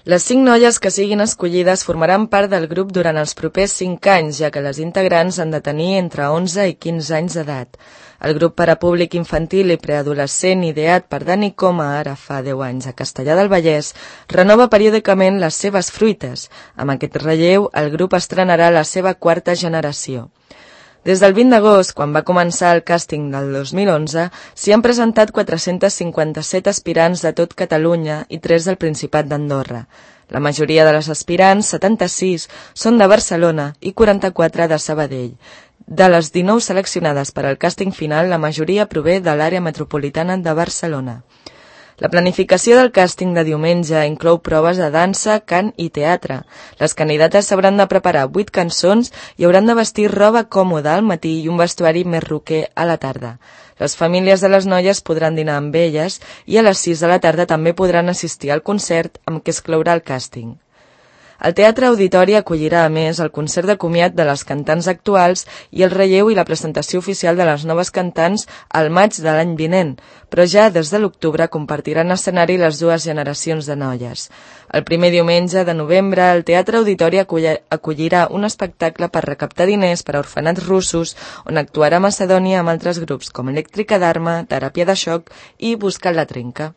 Les 5 noies que siguin escollides formaran part del grup durant els propers 5 anys, ja que les integrants han de tenir entre 11 i 15 anys d'edat. El grup per a públic infantil i preadolescent ideat per Dani Coma ara fa 10 anys a Castellar del Vallès renova periòdicament les seves fruites. Amb aquest relleu, el grup estrenarà la seva 4a generació. Des del 20 d'agost, quan va començar el càsting del 2011, s'hi han presentat 457 aspirants de tot Catalunya i 3 del Principat d'Andorra. La majoria de les aspirants, 76, són de Barcelona i 44 de Sabadell. De les 19 seleccionades per al càsting final, la majoria prové de l'àrea metropolitana de Barcelona. La planificació del càsting de diumenge inclou proves de dansa, cant i teatre. Les candidates s'hauran de preparar 8 cançons i hauran de vestir roba còmoda al matí i un vestuari més roquer a la tarda. Les famílies de les noies podran dinar amb elles i a les 6 de la tarda també podran assistir al concert amb què es clourà el càsting. El Teatre Auditori acollirà a més el concert de comiat de les cantants actuals i el relleu i la presentació oficial de les noves cantants al maig de l'any vinent, però ja des de l'octubre compartiran escenari les dues generacions de noies. El primer diumenge de novembre el Teatre Auditori acollirà un espectacle per recaptar diners per a orfenats russos on actuarà Macedònia amb altres grups com Elèctrica d'Arma, Teràpia de Xoc i Buscant la Trenca.